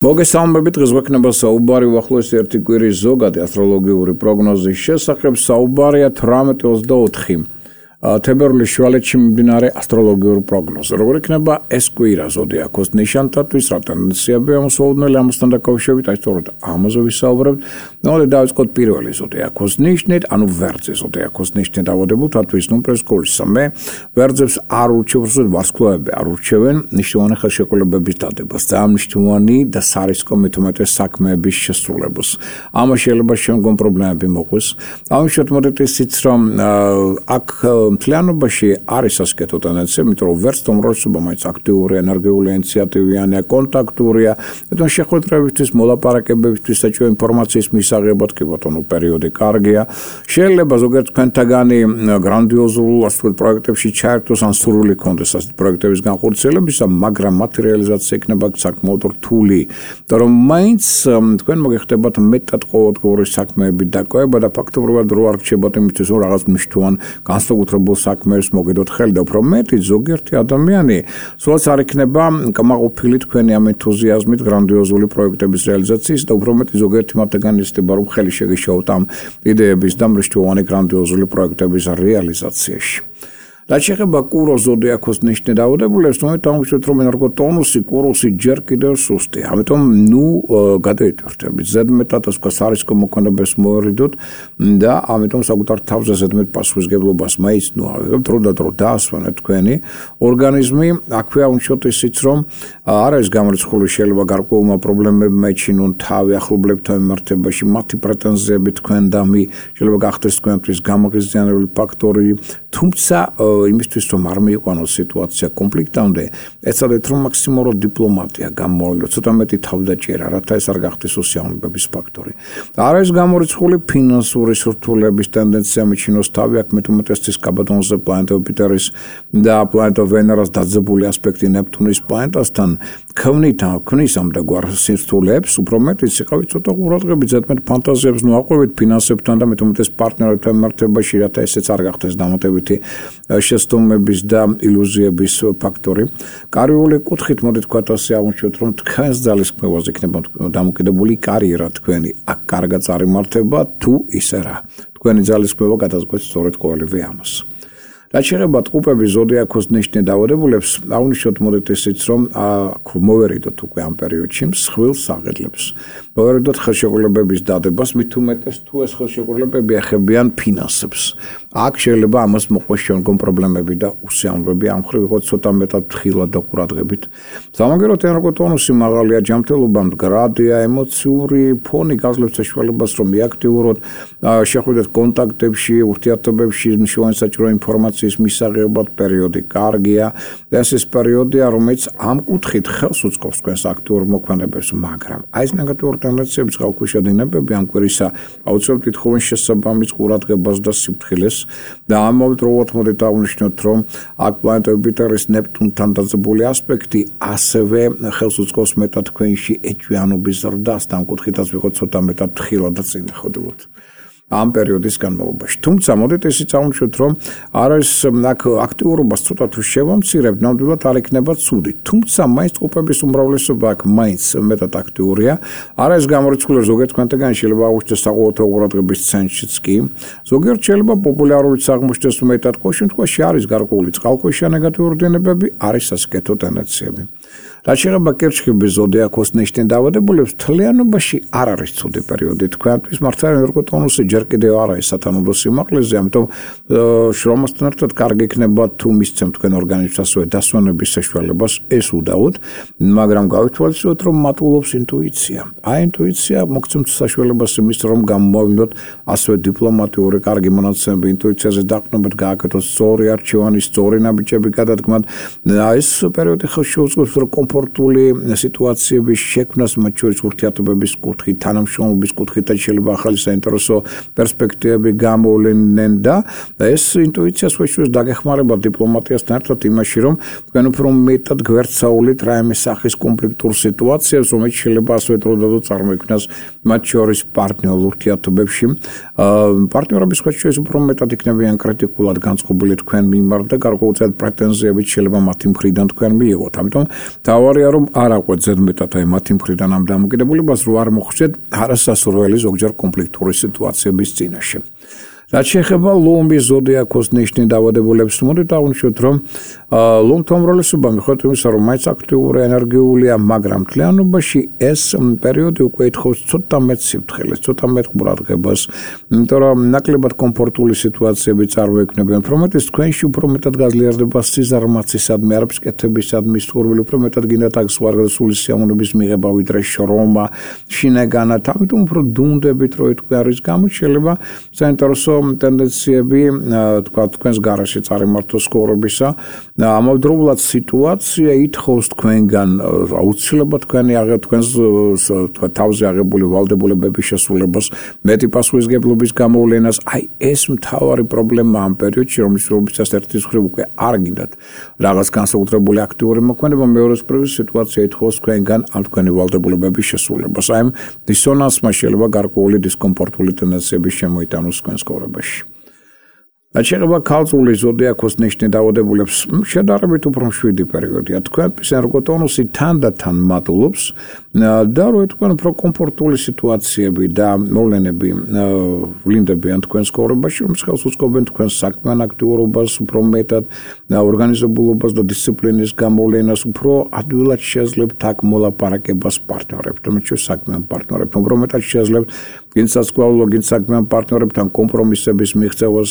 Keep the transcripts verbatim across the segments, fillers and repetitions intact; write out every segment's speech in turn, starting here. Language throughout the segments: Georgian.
მოგესალმებით, დღეს გვექნება საუბარი უახლოესი ერთი კვირის ზოგადი ასტროლოგიური პროგნოზის შესახებ. საუბარია თვრამეტი ოცდაოთხი თებერვლის შუალედში მიმდინარე ასტროლოგიურ პროგნოზზე. როგორ იქნება ეს კვირა ზოდიაქოს ნიშანთათვის, რა ტენდენციები ამოსაუდნელი ამასთან დაკავშირებით, აი სწორედ ამაზე ვისაუბრებთ. ნუ დავიწყოთ პირველი ზოდიაქოს ნიშნით, ანუ ვერძე ზოდიაქოს ნიშნით დავადებოთ, რატთვის ნუ პრესკოლისა. მე ვერძებს არ ურჩევს, ვარსკვლავები არ ურჩევენ ნიშნავანი ხელშეკრულებების დადებას და ამ ნიშნავანი და სარისკო მეთუმეტეს საქმეების შესრულებას. ამას შეიძლება შემდგომ პრობლემები მოყვის. ამიტომ მოდით ისიც რომ აქ მთლიანობაში არის ასკეთო ტენდენცია, იმიტომ რომ ვერც თომროსობა მაინც აქტიური, ენერგიული, ინიციატივიანია, კონტაქტურია, თუმცა შეხვედრებისთვის, მოლაპარაკებებისთვის საჭირო ინფორმაციის მისაღებად კი ბატონო პერიოდი კარგია. შეიძლება ზოგიერთ თქვენთაგანი გრანდიოზულ ასეთ პროექტებში ჩაერთოს ან სურვილი ქონდეს ასეთ პროექტების განხორციელებისა, მაგრამ მათი რეალიზაცია იქნება საკმაოდ რთული. იმიტომ რომ მაინც თქვენ მოგეხდებათ მეტად ყოველდღიური საქმეებით დაკავება და ფაქტობრივად რო არ რჩებათ იმისთვის, რომ რაღაც მნიშვნელოვან განსაკუთრებულ საქმეს მოგედოთ ხელი და უფრო მეტი ზოგიერთი ადამიანი სულაც არ იქნება კმაყოფილი თქვენი ამ ენთუზიაზმით გრანდიოზული პროექტების რეალიზაციის და უფრო მეტი ზოგიერთი მათგანი ისდება რომ ხელი შეგეშალოთ ამ იდეების და მნიშვნელოვანი გრანდიოზული პროექტების რეალიზაციაში. რაც შეეხება კუროს ზოდიაქოს ნიშნით დავადებულებს, ნუ დავუშვათ რომ ენერგოტონუსი კუროსი ჯერ კიდევ სუსტია. ამიტომ ნუ გადაიტვირთებით ზედმეტად ასე ვთქვათ სარისკო მოქმედებას მოერიდოთ და ამიტომ საკუთარ თავზე ზედმეტ პასუხისგებლობას მაინც ნუ ავიღებთ დრო და დრო დაასვანეთ თქვენი ორგანიზმი. აქვეა უნიშნოთ ისიც რომ არ არის გამორიცხული შეიძლება გარკვეულმა პრობლემებმა ეჩინონ თავი ახლობლებთან მიმართებაში, მათი პრეტენზიები თქვენდამი შეიძლება გახდეს თქვენთვის გამაღიზიანებელი ფაქტორი, თუმცა იმისთვის რომ არ მიიყვანოს სიტუაცია კონფლიქტამდე, ეცადეთ რომ მაქსიმალურად დიპლომატია გამოავლინოთ, ცოტა მეტი თავდაჭერა, რათა ეს არ გახდეს უსიამოვნებების ფაქტორი. არ არის გამორიცხული ფინანსური სრთულების ტენდენცია მიჩინოს თავი, აქ მეტუმეტესთვის კაბადონზე პლანეტა იუპიტერის და პლანეტა ვენერას დაძაბული ასპექტი ნეპტუნის პლანეტასთან ქმნით ქმნის ამ დაგვარ სირთულეებს, უფრო მეტიც იყავით ცოტა ყურადღებით, ზედმეტ ფანტაზიებს ნუ აყვებით ფინანსებთან და მეტუმეტეს პარტნიორებთან მიმართებაში, რათა ესეც არ გახდეს დამატებითი შესტომების და ილუზიების ფაქტორი. კარიული კუთხით მოდით თქვათ ასე აღმოჩნდეთ, რომ თქვენს ძალისხმევაზე იქნება დამოკიდებული კარიერა თქვენი. აქ კარგად წარიმართება თუ ისე რა. თქვენი ძალისხმევა გადაწყვეტს სწორედ ყოველივე ამას. რაც შეეხება ტყუპების ზოდიაქოს ნიშნით დავადებულებს, აღნიშნოთ მოდით ისიც რომ მოვერიდოთ უკვე ამ პერიოდში მსხვილ საღედლებს. მოვერიდოთ ხელშეკრულებების დადებას, მით უმეტეს თუ ეს ხელშეკრულებები ეხებიან ფინანსებს. აქ შეიძლება ამას მოყოს შემდგომ პრობლემები და უსიამოვნებები, ამ მხრივ იყოს ცოტა მეტად ფრთხილად და ყურადღებით. სამაგეროთ ენერგოტონუსი მაღალია, ჯანმრთელობა მდგრადია, ემოციური ფონი გაძლევს საშუალებას რომ მიაქტიუროთ, შეხვიდეთ კონტაქტებში, ურთიერთობებში მნიშვნელოვანი საჭირო ინფორმაცია მისაღებად პერიოდი კარგია. ეს ის პერიოდია, რომელიც ამ კუთხით ხელს უწყობს თქვენს აქტიურ მოქმედებებს, მაგრამ აი ეს ნეგატიური ტენდენციების წყალქვეშა დინებები ამ კვირისა აუცილებლად ითხოვენ შესაბამის ყურადღებას და სიფრთხილეს და ამავდროულად მოდით აღნიშნოთ, რომ აქ პლანეტა იუპიტერის ნეპტუნთან დაძაბული ასპექტი ასევე ხელს უწყობს მეტად თქვენში ეჭვიანობის ზრდას და ამ კუთხითაც ვიყოთ ცოტა მეტად ფრთხილად და წინააღმდეგობთ. ამ პერიოდის განმავლობაში. თუმცა მოდით ისიც აღმოჩნდეთ, რომ არის აქ აქტიურობას ცოტა თუ შევამცირებთ, ნამდვილად არ იქნება ცუდი. თუმცა მაინც ტყუპების უმრავლესობა აქ მაინც მეტად აქტიურია. არ არის გამორიცხული ზოგიერთ თქვენთაგანი შეიძლება აღმოჩნდეს საყოველთაო ყურადღების ცენტრშიც კი. ზოგიერთ შეიძლება პოპულარულიც აღმოჩნდეს მეტად, ყოველ შემთხვევაში არის გარკვეული წყალქვეშა ნეგატიური დინებები, არის ასკეთო ტენდენციები. რაც შეეხება კირჩხიბის ზოდიაქოს ნიშნით დავადებულებს, მთლიანობაში არ არის ცუდი პერიოდი თქვენთვის, მართლა ენერგოტონუსი ჯერ კიდევ არ არის სათანადო სიმაღლეზე, ამიტომ შრომასთან ერთად კარგი იქნება თუ მისცემთ თქვენ ორგანიზმს ასევე დასვენების საშუალებას, ეს უდაოდ, მაგრამ გავითვალისწინოთ რომ მატულობს ინტუიცია. აი ინტუიცია მოგცემთ საშუალებას იმის რომ გამოავლინოთ ასევე დიპლომატიური კარგი მონაცემები, ინტუიციაზე დაყრდნობით გააკეთოთ სწორი არჩევანი, სწორი ნაბიჯები გადადგმოთ. ეს პერიოდი ხელს შეუწყობს რომ კომფორტული სიტუაციების შექმნას, მათ შორის ურთიერთობების კუთხით, თანამშრომლობის კუთხით და შეიძლება ახალი საინტერესო პერსპექტივები გამოვლენენ და ეს ინტუიციას ვეშვის დაგეხმარება დიპლომატიასთან ერთად იმაში, რომ თქვენ უფრო მეტად გვერდსაულით რაიმე სახის კონფლიქტურ სიტუაციებს, რომელიც შეიძლება ასე დროდადო წარმოიქმნას მათ შორის პარტნიორულ ურთიერთობებში. პარტნიორების შეშ უფრო მეტად იქნებიან კრიტიკულად განწყობილი თქვენ მიმართ და გარკვეულწილად პრეტენზიებით შეიძლება მათი მხრიდან თქვენ მიიღოთ. ამიტომ თავარია რომ არ აყვეთ ზედმეტად აი მათი მხრიდან ამ დამოკიდებულებას, რომ არ მოხვდეთ არასასურველი ზოგჯერ კონფლიქტური სიტუაციების წინაშე. რაც შეეხება ლომის ზოდიაქოს ნიშნის დაავადებულებს, მოდით აღვნიშნოთ, რომ ლომთა უმრავლესობა მიუხედავად იმისა, რომ მაინც აქტიური ენერგიულია, მაგრამ მთლიანობაში ეს პერიოდი უკვე ითხოვს ცოტა მეტ სიფრთხილეს, ცოტა მეტ ყურადღებას, იმიტომ რომ ნაკლებად კომფორტული სიტუაციები წარმოიქმნება. უფრო მეტის თქვენში უფრო მეტად გაძლიერდება სიზარმაცისადმი, არაფრისკეთებისადმი სურვილი, უფრო მეტად გინდათ აქ სვარგასული სიამოვნების მიღება, ვიდრე შრომა, შინაგანად. ამიტომ უფრო დუნდებით რო თქვენ არის გამოჩელება საინტერესო ტენდენციები თქვა თქვენს გარშე წარიმართოს ცხოვრებისა. ამავდროულად სიტუაცია ითხოვს თქვენგან აუცილებლად თქვენი თქვენს თავზე აღებული ვალდებულებების შესრულებას, მეტი პასუხისმგებლობის გამოვლენას. აი ეს მთავარი პრობლემა ამ პერიოდში, რომლისთვისაც ერთის მხრივ უკვე არ გინდათ რაღაც განსაკუთრებული აქტიური მოქმედება, მეორეს მხრივ სიტუაცია ითხოვს თქვენგან ამ თქვენი ვალდებულებების შესრულებას. აი ამ დისონანსმა შეიძლება გარკვეული დისკომფორტული ტენდენციები შემოიტანოს თქვენს ცხოვრებაში. რაც შეეხება ქალწულის ზოდიაქოს ნიშნის დაავადებულებს, შედარებით უფრო მშვიდი პერიოდია. თქვენთვის ენერგოტონუსი თანდათან მატულობს და რო თქვენ უფრო კომფორტული სიტუაციები და მოვლენები ვლინდებიან თქვენს ცხოვრებაში, რომ ხელს უწყობენ თქვენს საქმიან აქტიურობას, უფრო მეტად ორგანიზებულობას და დისციპლინის გამოვლენას, უფრო ადვილად შეძლებთ აქ მოლაპარაკებას პარტნიორებთან, თქვენ საქმიან პარტნიორებთან, უფრო მეტად შეძლებთ გინსაცვალო გინ საქმიან პარტნიორებთან კომპრომისების მიღწევას.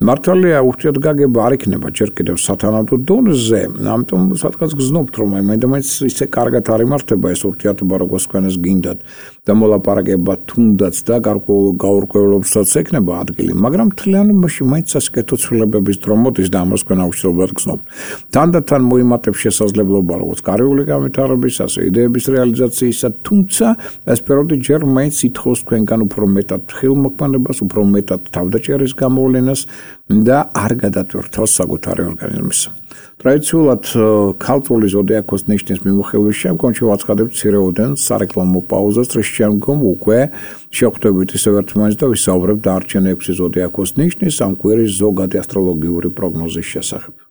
მართალია ურთიერთგაგება არ იქნება ჯერ კიდევ სათანადო დონეზე, ამიტომ სადღაც გზნობთ, რომ აი მაინც ისე კარგად არ იმართება ეს ურთიერთობა, როგორც თქვენს გინდათ და მოლაპარაკება თუნდაც და გარკვეულ გაურკვევლობასაც ექნება ადგილი, მაგრამ მთლიანობაში მაინც ასკეთო ცვლილებების დრო მოდის და ამას თქვენ აუცილებლად გზნობთ. თანდათან მოიმატებს შესაძლებლობა, როგორც კარიული განვითარების, ასე იდეების რეალიზაციისა, თუმცა ეს პერიოდი ჯერ მაინც ითხოვს თქვენგან უფრო მეტად ხილმოქმედებას, უფრო მეტად თავდაჭერის გამოვლენას და არ გადატვირთავს საკუთარი ორგანიზმის. ტრადიციულად ქალწული ზოდიაქოს ნიშნის მიმოხილვის შემდგომ შევაცხადებთ მცირეოდენ სარეკლამო პაუზას, რის შემდგომ უკვე შევხვდებით ისევ ერთმანეთს და ვისაუბრებთ დარჩენილი ექვსი ზოდიაქოს ნიშნის ამ კვირის ზოგადი ასტროლოგიური პროგნოზის შესახებ.